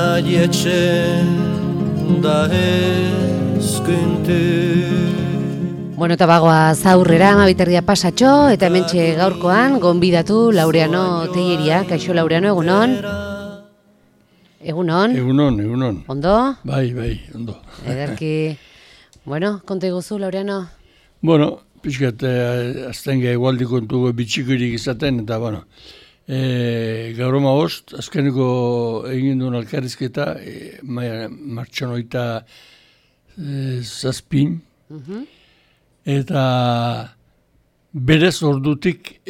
maietxe da ezkuntu. Bueno, eta bagoaz aurrera, amabiterdia pasatxo, eta hementxe gaurkoan, gonbidatu Laureano Teieria. Kaixo Laureano, egunon? Egunon? Egunon. Ondo? Bai, ondo. Ederki. Bueno, konta iguzu, Laureano? Bueno, pixkat, azten egualdi kontuko bitxikurik izaten, eta bueno, gaur bost, azkeneko egin duen alkarrizketa, martxonoita zazpin, eta berez ordutik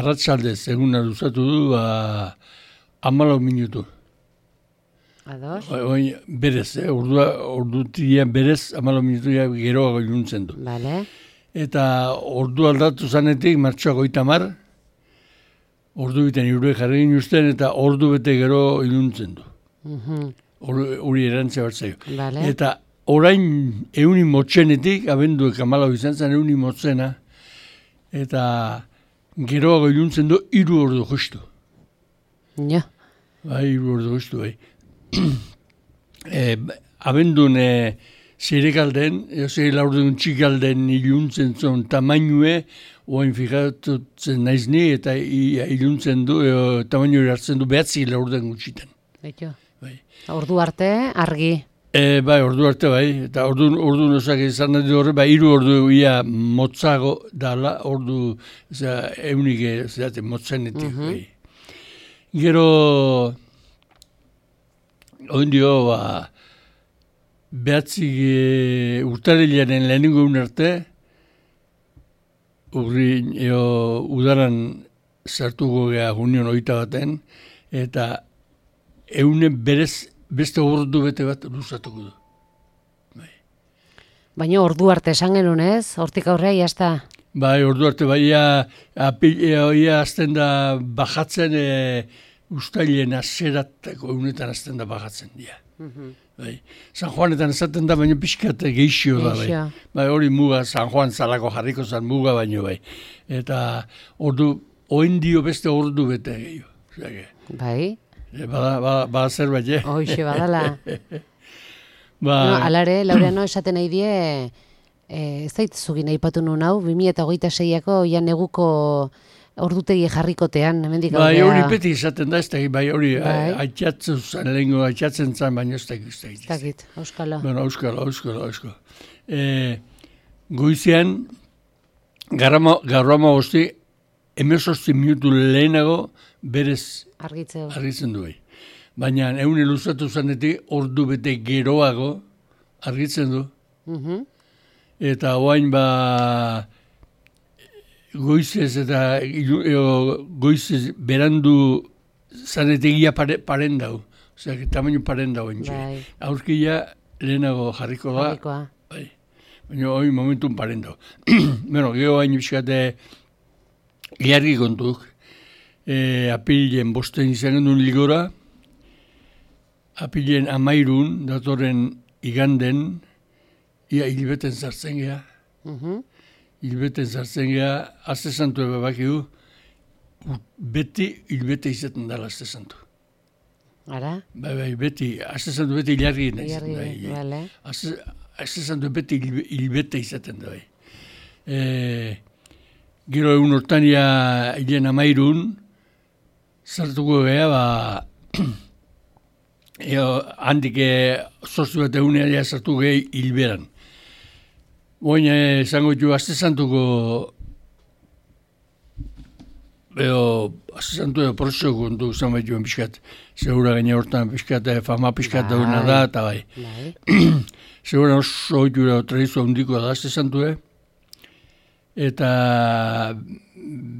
arratsaldez eguna luzatu du 14 minutu. Ados? Berez, ordutian berez 14 minutu geroago iluntzen du. Vale. Eta ordu aldatu zanetik martxoak 30, ordu biten irue jarri ginuzten eta ordu bete gero iluntzen du. Hori erantzea bertzaio. Vale. Eta orain euni motzenetik, abenduek 14 izan zen euni motzena, eta geroago iluntzen du 3 ordu justu. Ja. Bai, 3 ordu justu, bai. Abendun zirekalden, laurdun txikalden iluntzen zuen tamainue, oain fijatutzen naiz ni, eta iluntzen du, tamainu hartzen du 9 laurden gutxitan. Beto. Bai. Ordu arte, argi. Bai, ordu arte bai, eta ordu nozak izan nahi horre, bai, 3 ordu ia motzago dala, ordu, eunik motzenetik, bai. Gero, oindio, behatzik urtarrilaren lehenengo arte, udaran sartuko geha Union 21, eta eunen berez beste ordu bete bat luzatuko du. Bai. Baina ordu arte esan genuen ez? Hortik aurrea jazta? Bai, ordu arte, bai, azten da bajatzen, ustailen azeratako eunetan azten da bajatzen dira. Bai. San Juanetan esaten da, baina pixkat geixio da, bai. Bai, hori muga, San Juan zalako jarriko zan muga baino, bai. Eta ordu, oindio beste ordu bete gehiago. Bai. Bada zerbait, Hoxe, badala. Alare, Laureano, esaten nahi die, ez zaitzugin aipatu nuen hau, 2026ko ja neguko ordutegi jarrikotean, hemendik bai, hori beti izaten da, ez da, bai, hori aitzatzen zan, baina ez da. Ez dakit, auskala. Bueno, auskala. Goizean, garrama bosti, 18 minutu lehenago, berez argitzen du. Baina eune luzatu zanetik ordu bete geroago argitzen du. Eta oain goizez eta goizez berandu zanetegia paren dau. Osea, tamaino paren dau entxe. Aurkia lehenago jarriko da. Bai. Baina hori momentun paren dau. Bueno, geho hain biskate giargi kontuk. Apirilen 5 izan genuen ligora, apirilen 13 datorren iganden, ia hilbeten zartzen geha. Hilbeten zartzen geha, azte santu ebabakigu, beti hilbete izaten dala azte santu. Ara? Bai, beti, azte santu beti hilargi nahi. Bale. Azte santu beti hilbete izaten da, bai. Gero egun hortania hilen 13, zartuko geha, handik zortzu bat egunea zartu gehi hilberan. Baina esango ditu, azte santuko, azte santu edo prozio kontu zan baituen pixkat, segura gaine hortan pixkat, fama pixkat dauna da, eta bai. Segura oso oitura tradizioa hundikoa da azte santu, eta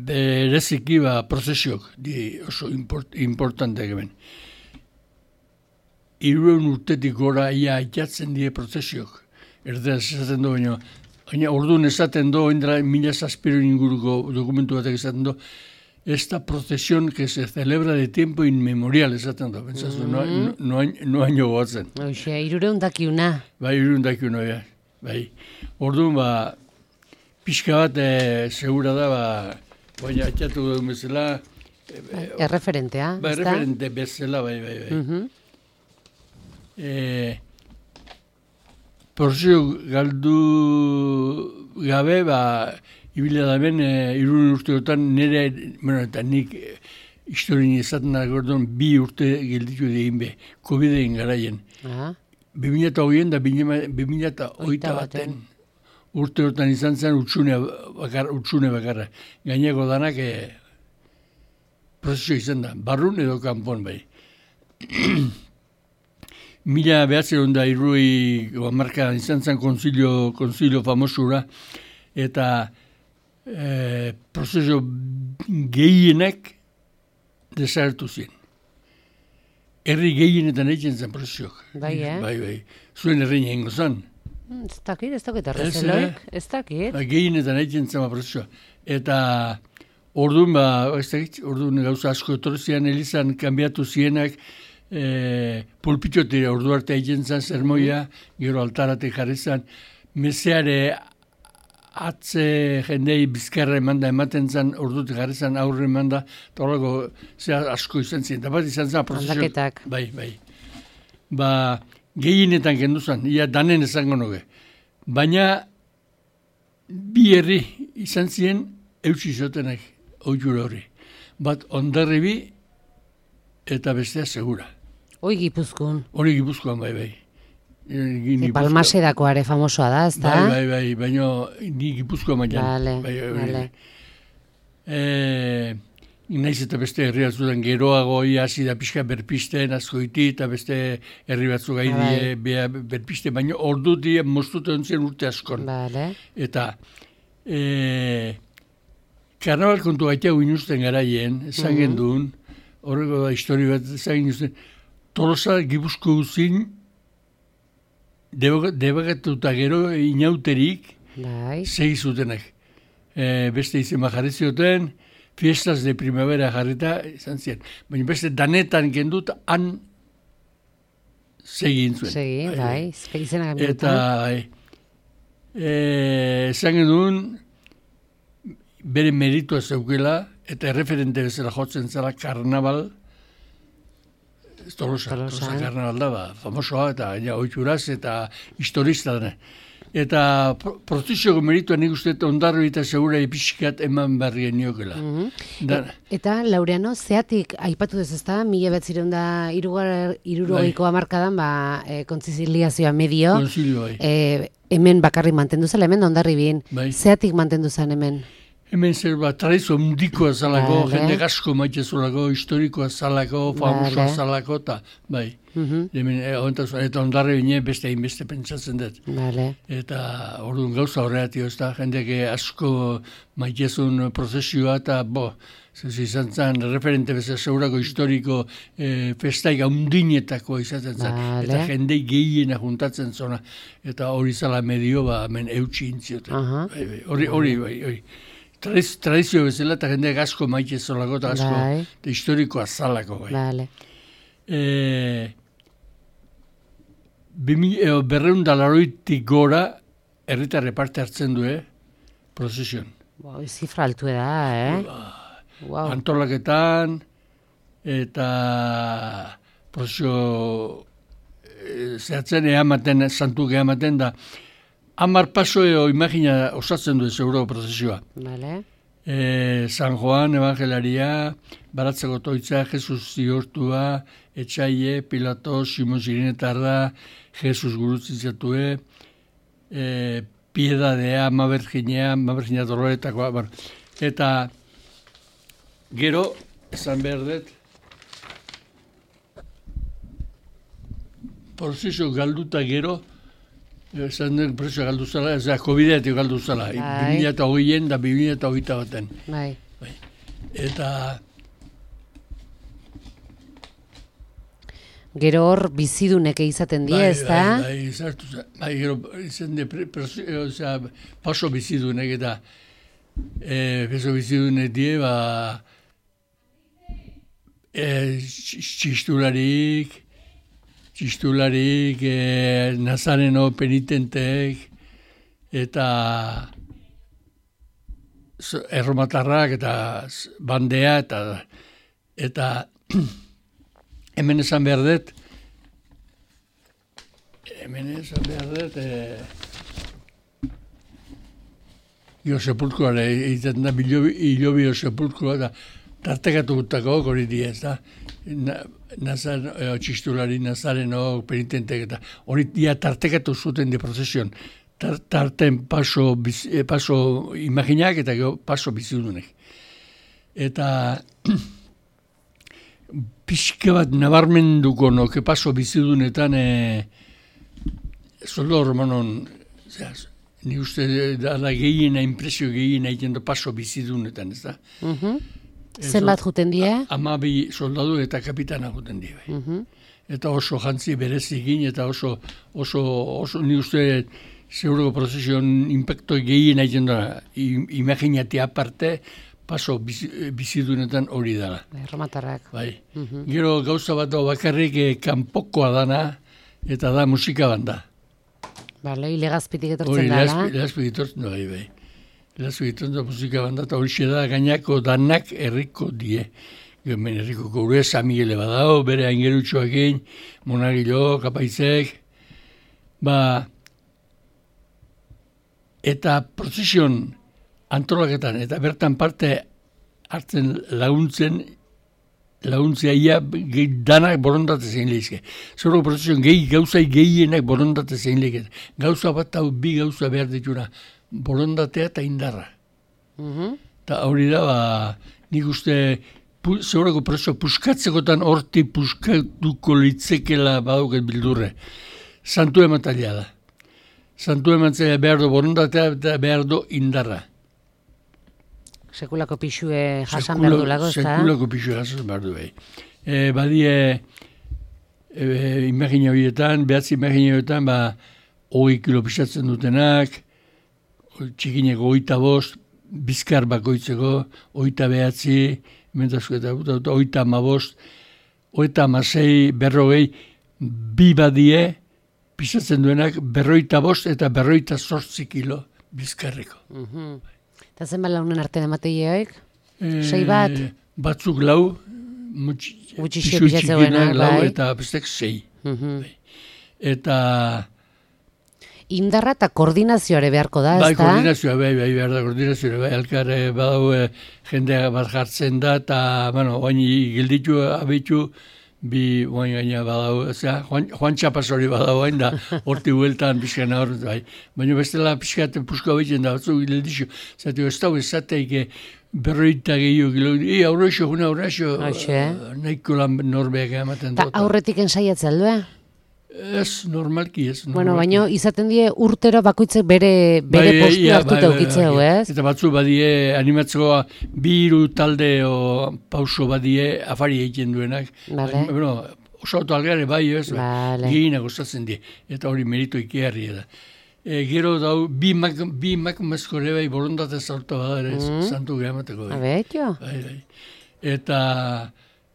bereziki prozesiok di oso importanteak hemen. 300 urtetik gora ia aitatzen die prozesiok. Erderaz esaten du, baina orduan esaten du, indra 1000 inguruko dokumentu batek esaten du, esta procesión que se celebra de tiempo inmemorial, esaten du. Pentsazu, no haino goatzen. Hoxe, 300 dakiuna. Bai, 300 dakiuna, bai. Orduan, pixka bat segura da, baina atxatu duen bezala, Erreferentea, ezta? Erreferente bezala, bai. Prozesio galdu gabe, ibila da ben, 3 urteotan nire, eta nik historien izaten da gordon 2 urte gelditu egin be, COVID-en garaien. 2008 da 2008 urte hortan izan zen utxune bakarra. Gaineko danak prozesio izan da, barrun edo kanpon bai. 1903 izan zen konzilio famosura, eta prozesio gehienak desagertu ziren. Herri gehienetan egiten zen prozesioak. Bai. Zuen herri egingo zen. Ez dakit arrezeloik, ez dakit. Gehienetan egiten zen prozesioa. Eta orduan gauza asko etorzian elizan kanbiatu zienak, pulpitotira ordu arte egiten zen sermoia, gero altaratek jarri zen, meseare atze jendei bizkarra ematen zen, ordutik jarri zen aurre emanda, eta horrego asko izan zen. Eta bat izan zen prozesio. Aldaketak. Bai. Gehienetan kendu zen, ia danen esango nuke. Baina, bi herri izan ziren eutsi zotenak oitura hori. Bat Hondarribi eta bestea Segura. Hori Gipuzkoan. Hori Gipuzkoan, bai. Palmasedakoare famosoa da, ez da? Bai, baina ni Gipuzkoan mailan. Bale. Naiz eta beste herri batzutan geroago hasi da pixka berpisten askoiti eta beste herri batzuk gaidie berpiste, baina orduti moztute ontzien urte askon. Eta karnaval kontu gaitea uinuzten garaien, esan genduen, horreko da histori bat esan genduen, Tolosa Gipuzko uzin debagatuta gero inauterik segi zutenak. Beste izen jarri zioten, fiestas de primavera jarrita izan ziren. Baina beste danetan gendut han segin zuen. Izena gambituta. Eta esan genuen bere meritua zeukela eta erreferente bezala jotzen zela karnaval, Tolosa karnaval da, famosoa eta oituraz eta historista dena. Eta prozesioko meritua nik uste Hondarribi eta Segura ipixkat eman barrien niokela. Eta, Laureano, zeatik aipatu dez ezta, 1960ko hamarkadan kontziliazioa medio, hemen bakarrik mantendu zela, hemen Hondarribin. Zeatik mantendu zen hemen? Hemen zer tradizio mundikoa zalako, jende asko maite zolako, historikoa zalako, famosoa zalako, eta bai. Eta Hondarribin beste hainbeste pentsatzen dut. Eta orduan gauza horretio, ez da, jendek asko maitezun prozesioa, eta izan zen referente bezala Segurako historiko festaik haundinetako izaten zen. Eta jendei gehiena juntatzen zona, eta hori zala medio, hemen eutxi intzioten. Hori. Tradizio bezala eta jendeak asko maite zolako eta asko historikoa zalako. Berreundalaroitik gora herritarre parte hartzen du, prozesioan. Zifra altu da, Antolaketan eta prozesio zehatzen eamaten, santuk eamaten da, 10 paso imagina osatzen du Segurako prozesioa. San Juan, Evangelaria, Baratzeko Toitza, Jesus Zigortua, Etxaie, Pilato, Simon Zirinetarra, Jesus Gurutzizatue, Piedadea, Maberginea Doloretakoa. Eta gero, esan behar dut, prozesio galduta gero, esan dut prozesio galdu zala, ez da, COVID-etik galdu zala, 2008 da 2008 baten. Eta gero hor bizidunek izaten die, ez da? Gero izan de paso bizidunek eta peso bizidunek die, txistularik, Nazareno penitentek, eta erromatarrak, eta bandea, eta Eta hemen esan behar dut, sepulkroa, egiten da hilobio sepulkroa, da tartekatu gutako hori di ez da, txistulari, nazareno, penitentek, eta hori dia tartekatu zuten de prozesion, tarten paso imaginak eta paso bizidunek. Eta pixka bat nabarmenduko noke paso bizidunetan soldado romanon, ni uste da gehiena, impresio gehiena egiten paso bizidunetan, ez da? Zenbat juten die? 12 soldadu eta kapitana juten die. Eta oso jantzi berezigin eta oso ni uste seguroko prozesion impacto gehiena egiten da, imaginati aparte, paso bizidunetan hori dela. Erromatarrak. Bai. Gero gauza bat bakarrik kanpokoa dana, eta da musika banda. Bale, ilegazpitik etortzen dala. Hori, ilegazpitik etortzen da, bai. Ilegazpitik etortzen da musika banda, eta hori da gainako danak herriko die. Hemen herriko gaur San Miguele badao, bere aingerutxoakin, Monagilo, Kapaizek, eta prozesion antolaketan, eta bertan parte hartzen laguntzea ia danak borondate zein lehizke. Zoro prozesion gauzai gehienak borondate zein lehizke. Gauza bat hau bi gauza behar dituna, borondatea eta indarra. Eta hori da, nik uste, zorako prozeso puskatzekotan horti puskatuko litzekela badauket bildurre. Santu emantalia da. Santu emantalia behar du borondatea eta behar du indarra. Sekulako pixue jasan behar du lago, ez da? Sekulako pixue jasan behar du, bai. Badie, imagina horietan, behatzi imagina horietan, 20 kilo pisatzen dutenak, txikineko 25, bizkar bakoitzeko, 29, mentazko eta 35, 36, 40, bi badie, pisatzen duenak, 45 eta 48 kilo bizkarreko. Eta zenbat launen artean emateioek? 6 bat? Batzuk lau, pisu txikinak lau eta bestek 6. Eta indarra eta koordinazioare beharko da, ez da? Bai, koordinazioa, behar da, koordinazioa, elkar badau jendea bat jartzen da, eta, oain gilditu, abitu, bi oain gaina badau, Juan Txapas hori badau hain da, horti hueltan pixkan hor, baina bestela pixkat pusko abitzen da, batzu gilditu, zatu ez da, ezateik berroita gehiago, aurrexo, nahiko lan norbeak ematen dut. Eta aurretik ensaiatzea aldua? Ez, normalki ez. Bueno, baina izaten die urtero bakoitzek bere postu hartuta ukitzeu, ez? Eta batzu badie animatzeko 2 talde o pauso badie afari egiten duenak. Bueno, oso autalgare bai, ez? Gehienak ostatzen die. Eta hori merito ikiarri da. Gero dau, bi makumezko ere bai borondatez hartu badare, santu gehamateko. Abetio? Bai. Eta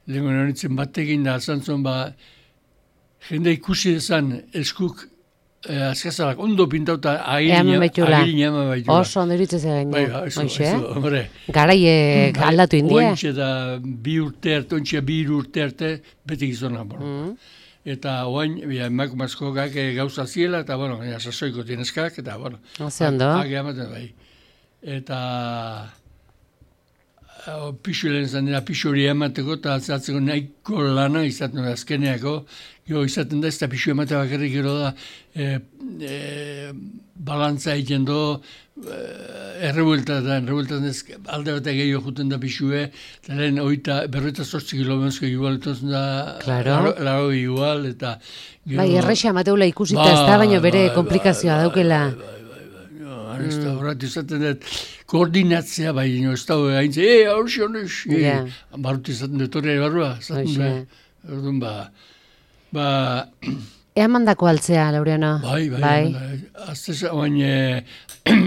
lehenko nonitzen batekin da, zantzon jende ikusi dezan eskuk azkazalak ondo pintauta agirin eman baitula. Oso ondo iritzen zen gaino. Garaiek aldatu india. Ointxe da 2 urte arte, ointxe 2 urte arte, beti gizona. Eta oain, emakumazkoak gauza ziela, eta, sasoiko tieneskak, eta, Haze ondo. Amaten bai. Eta pixu lehen zan dira, pixu hori emateko, eta atzatzeko nahiko lana izaten da azkeneako, izaten da, ez da pixu emate bakarrik gero da, balantza egiten do, errebueltatan ez, alde bat gehiago juten da pixue, eta lehen 48 kilometro igual, etozen da, laro igual, eta... Bai, errexea mateula ikusita ez da, baina bere komplikazioa daukela. Ez da horret izaten dut, koordinatzea bai, ez da haintze, haurzio, barut izaten dut horre barrua, zaten Ea mandako altzea, Laureano? Bai. Azteza, oain,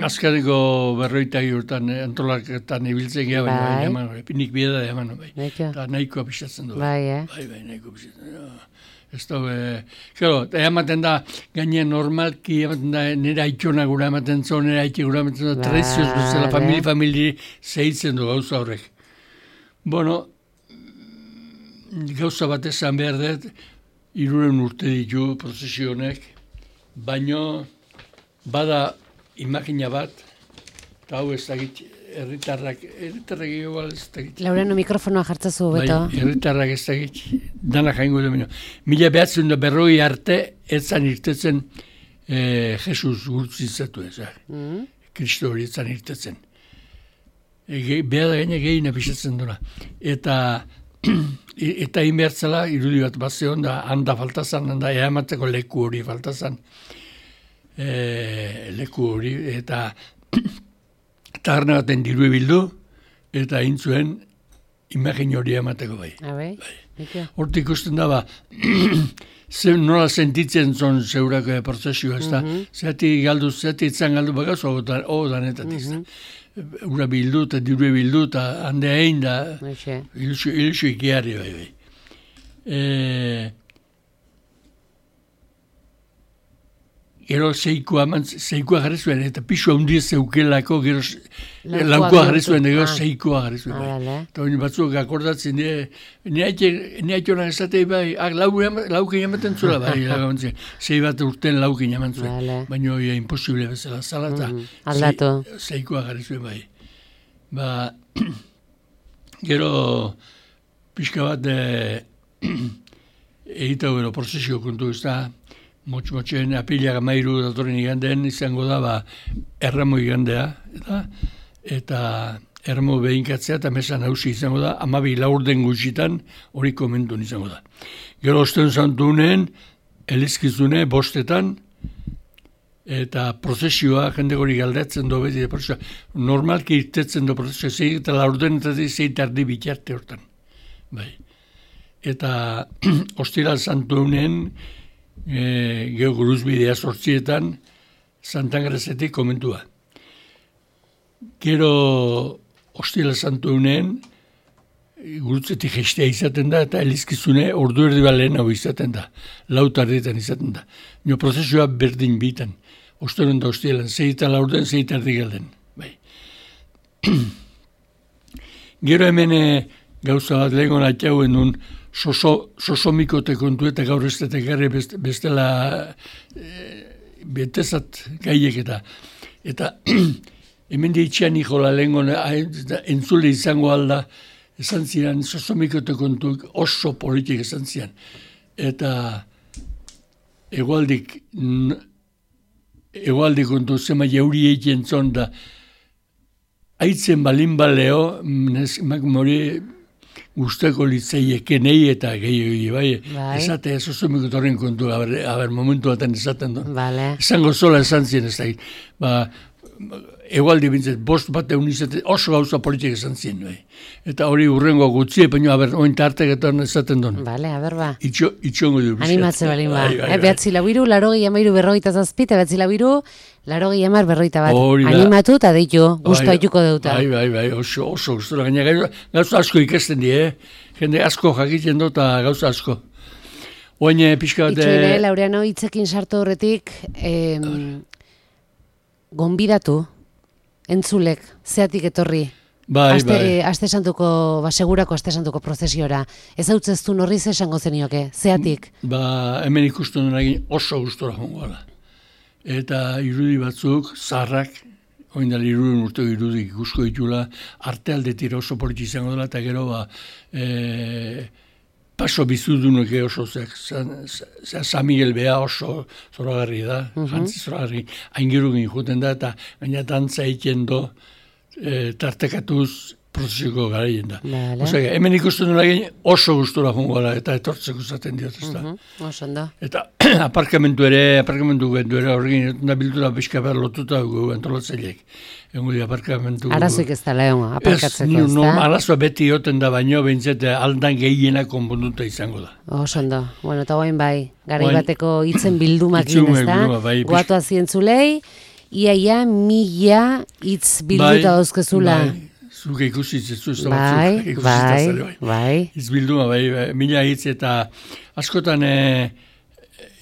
azkareko 40 urtan antolaketan ibiltzen geha, baina nik bieda da eman, bai. Eta nahikoa pisatzen du. Bai, nahikoa pisatzen du. Ez da, ematen da, gainean normalki, ematen da, nire aitxona gura ematen zo, nire aitxe gura ematen zo, trezioz bezala, famili zeitzen du gauza horrek. Bueno, gauza bat esan behar dut, 300 urte ditu prozesionek, baino bada imagina bat, eta hau ez dakit, herritarrak igual ez dakit. Laureano mikrofonoa jartzazu, beto. Bai, herritarrak ez dakit, dana jaingo du. 1940 arte, etzan irtetzen Jesus gurtzizatu ezak. Kristo hori etzan irtetzen. Behar da gaine gehi napisatzen duna. Eta inbertzela, irudi bat bazeon da, handa faltazan, handa eamatzeko leku hori faltazan. Leku hori, eta tagarna baten dirue bildu, eta intzuen imagin hori emateko bai. Hortik ikusten da, nola sentitzen zon zeurako prozesioa, ez da, zeati itzan galdu bagaz, hau danetat izan. Ura bildu eta dirue bildu eta hande hain da ilusio ikiari bai. Gero zeikoa jarri zuen, eta pisua hundiz zeukelako, gero laukua jarri zuen, gero zeikoa jarri zuen. Eta hori batzuk akordatzen, neaitonak esatei bai, laukin jamaten zula bai, zei bat urten laukin jaman zuen, baina hori imposible bezala zala, eta zeikoa jarri zuen bai. Gero pixka bat egitau gero prozesio kontu ez da, motxen apilak 13 datorren igandeen izango da erramo igandea, eta erramo behinkatzea eta mesa nausi izango da, 12 laurden gutxitan hori komentun izango da. Gero osten zantunen, elizkizune, 5 eta prozesioa jende hori galdatzen do beti, normalki irtetzen do prozesioa, zei eta laurden eta zei tardi bitarte hortan. Eta ostiral zantunen, geho guruzbidea 8 Santangrazetik komentua. Gero ostila santu unen, gurutzetik gestea izaten da, eta elizkizune ordu erdi balen hau izaten da, 4 izaten da. Nio prozesioa berdin bitan, ostelen da ostilan, 6 laurden, 6 galden. Gero hemen gauza bat lehenko natxauen duen, sosomikote kontu eta gaur ez detekarri bestela betezat gaiek eta hemen ditxean ikola lehenko entzule izango alda esan ziren sosomikote kontu oso politik esan ziren eta egualdik kontu zema jauri egiten zon da aitzen balin baleo mori guzteko litzeieken eta gehiago bai. Esate sosomikotorren kontu, momentu baten esaten du. Esango zola esan zien ez da. Egualdi bintzat, 5 bat egun izaten, oso gauza politik esan zien. Eta hori urrengo gutxie, baina oin tarteketan esaten duen. Itxongo du. Animatze balin ba. Behatzi labiru, 83 eta 80 40 animatu eta deitu, guztu haituko deuta. Bai, oso guztura. Gauza asko ikesten di, jende asko jakiten dut eta gauza asko. Oin pixka bat... Itxoine, Laureano, hitzekin sartu horretik, gonbidatu, entzulek, zeatik etorri. Aste santuko, segurako aste santuko prozesiora. Ez hau tzestu norriz esango zenioke, zeatik? Hemen ikusten duen oso guztura jongoala. Eta irudi batzuk, zaharrak, oindal 3 urte irudik ikusko ditula, arte aldetira oso politi izango dela, eta gero paso bizudunok oso San Miguel Bea oso zoragarri da, jantzi zoragarri, aingerugin juten da, eta gaina dantza egiten do, tartekatuz prozesiko garaien da. Hemen ikusten duen egin oso gustura jongoala eta etortzeko zaten diot ez da. Eta aparkamentu ere horregin da biltura pixka behar lotuta dugu antolatzaileek. Egun di aparkamentu... Arazoik ez da lehon, aparkatzeko ez da? Arazoa beti joten da baino, behintzete aldan gehiena konponduta izango da. Osondo. Bueno, eta guain bai, garai bateko hitzen bildumak egin ez da? Guatu azientzulei, iaia 1000 hitz bilduta dauzkezula. Zuke ikusi zezu ez da batzuk. Bai. Hitz bilduma, 1000 hitz eta askotan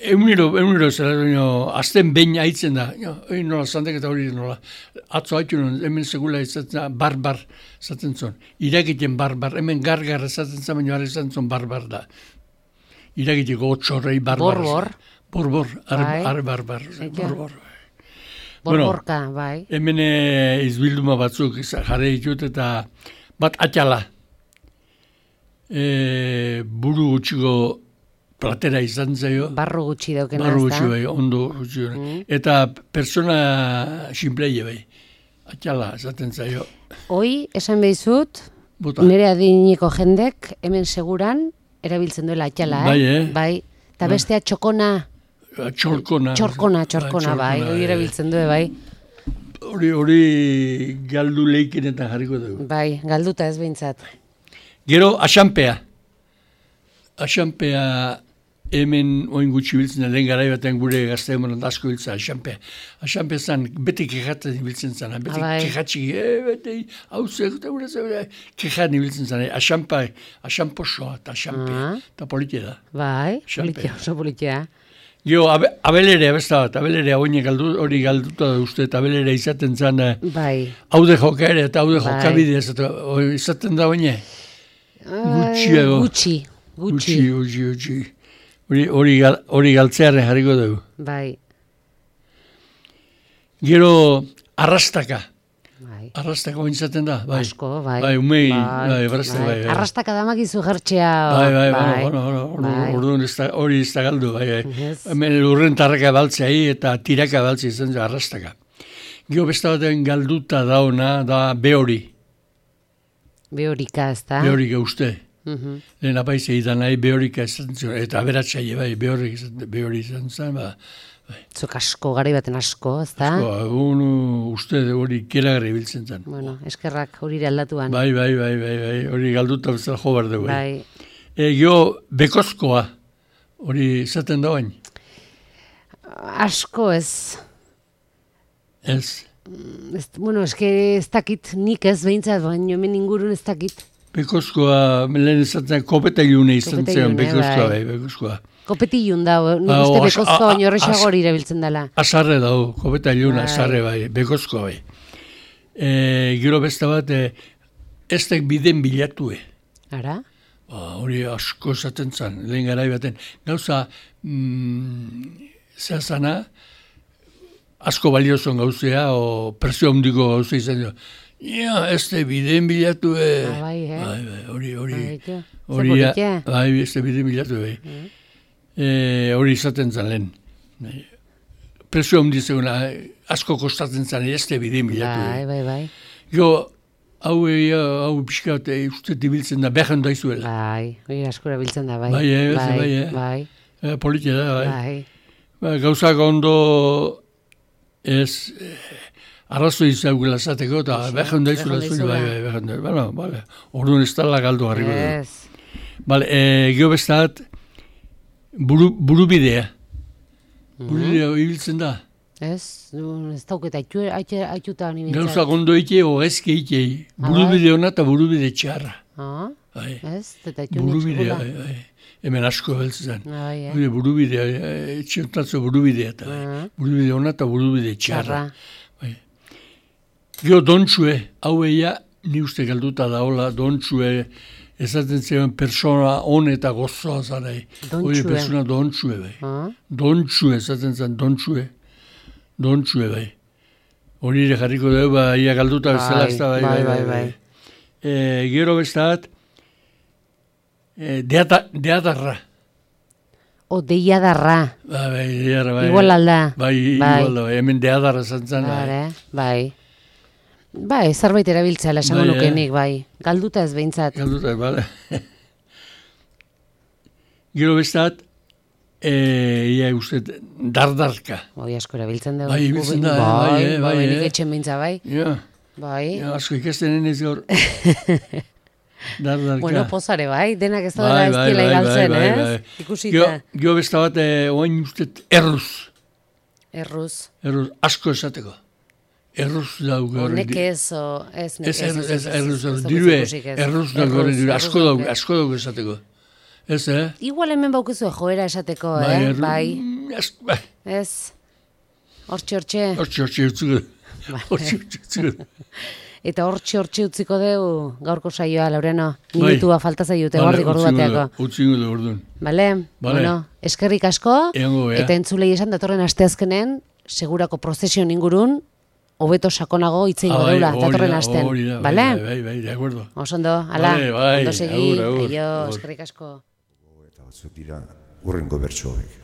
Egunero zera, azten behin haitzen da. Nola, zantek eta hori nola. Atzo haitu nuen, hemen segula izatzen bar izaten zuen. Irakiten bar, hemen gar izaten zuen, baina izaten zuen bar da. Irakiteko otxorrei bar. Bor, arre bar. Borborka, bai. Hemen izbilduma batzuk jarri ditut eta bat atxala. Buru gutxiko platera izan zaio. Barro gutxi daukena. Barro gutxi bai, ondo gutxi. Eta persona sinpleie bai. Atxala, esaten zaio. Hoi, esan behizut, nire adiniko jendek, hemen seguran, erabiltzen duela atxala, Bai. Eta bestea txokona. Txorkona, bai. Hori erabiltzen du, bai. Hori galdu leikinetan jarriko dugu. Bai, galduta ez behintzat. Gero, asanpea. Asanpea hemen oin gutxi biltzen, lehen gara batean gure gazte hemen asko biltzen, asanpea. Asanpea zan, beti kejatzen biltzen zan, beti kejatxik, beti hauzek, kejatzen biltzen zan, asanposoa eta asanpea, eta politia da. Bai, politia, oso politia. Gio, abelerea besta bat, abelerea hori galduta da uste, eta abelerea izaten zan, haude joka ere, eta haude jokabidea, izaten da oine? Gutxi. Hori galtzearen jarriko dugu. Bai. Gero, arrastaka. Arrastaka oin izaten da. Asko, bai. Bai, umei, bai. Arrastaka damak izu jertxea. Bai. Hori ez da galdu, bai. Hemen lurren tarraka baltzea eta tiraka baltzea izan da arrastaka. Gero besta batean galduta dauna, da behori. Behorika, ez da? Behorika uste. Lehen apaizea izan nahi behorika izan zion, eta aberatxaile, bai, behori izan zen, ba. Zuk asko, gari baten asko, ez da? Asko, uste hori keragarri biltzen zen. Bueno, eskerrak hori aldatuan. Bai, hori galduta bezala jo behar dugu. Bai. Gio, bekozkoa, hori izaten da bain? Asko ez. Ez? Bueno, eske ez dakit, nik ez behintzat, baina hemen ingurun ez dakit. Bekozkoa, lehen izaten kopeta ilune izan zen, bekozkoa, bai, bekozkoa. Kopetillun da, nik uste bekozkoa baino horrexagor irabiltzen dela. Azarre dago, kopeta iluna, azarre bai, bekozkoa bai. Gero besta bat, ez tek biden bilatue. Ara? Hori asko esaten zen, lehen garai baten. Gauza, zehazana, asko baliozon gauzea, o presio handiko gauzea izan dut. Ja, ez te biden bilatu, hori, ez te biden bilatu, hori izaten zen lehen. Presio handi zeguna, asko kostatzen zen, ez te biden bilatu. Bai. Jo, hau pixka bat, uste dibiltzen da, behan daizuela. Bai, hori askora biltzen da, bai. Bai. Politia da, bai. Gauzak ondo ez... Arrazo izagula zateko, eta behan daizula zuen, bai. Orduan ez tala galdu harriko dugu. Gio bestat, burubidea. Burubidea ibiltzen da. Ez dauket, haituta honi bintzat. Gauza gondo ite, o ezke ite. Burubide hona eta burubide txarra. Ez, eta haitu nitxukula. Hemen asko beltzen. Burubidea, etxiontatzo burubidea eta. Burubide hona eta burubide txarra. Gio, dontxue, hau eia, ni uste galduta daola, dontxue, ezaten zegoen persona hon eta gozoa zarai. Hori persona dontxue, bai. Dontxue, ezaten zen, dontxue. Dontxue, bai. Hori ere jarriko dugu, ia galduta bezala ez da, bai. Gero bestat, deadarra. Deiadarra. Bai, deiadarra, bai. Igual alda. Bai, igual da, hemen deadarra zantzan, bai. Bai, zerbait erabiltzela esango nukenik, bai. Galduta ez behintzat. Galduta, bale. Gero bestat, ia uste, dardarka. Asko erabiltzen da. Bai, ibiltzen da, bai. Nik etxen bintza, bai. Bai. Asko ikasten enez gaur. Dardarka. Bueno, pozare, bai. Denak ez da dela estila igaltzen, ez? Ikusita. Gero bestat bat, oain uste, erruz. Erruz, asko esateko. Erruz dauga hori. Nekez, ez nekez. Erruz dauga hori, asko dauga esateko. Ez, Igual hemen baukizu joera esateko, bai. Ez. Hortxe. Hortxe utzuko. Eta hortxe utziko deu gaurko saioa, Laureno. Minutua falta zaiute gordik ordu bateako. Utzingo du orduan. Bale? Bueno, eskerrik asko. Eta entzulei esan datorren asteazkenen, segurako prozesion ingurun, hobeto sakonago itzingo deula, datorren asten. Bai, de acuerdo. Osondo, ala, ondo segi, eskerrik asko. Eta batzuk dira, urrengo bertsoek.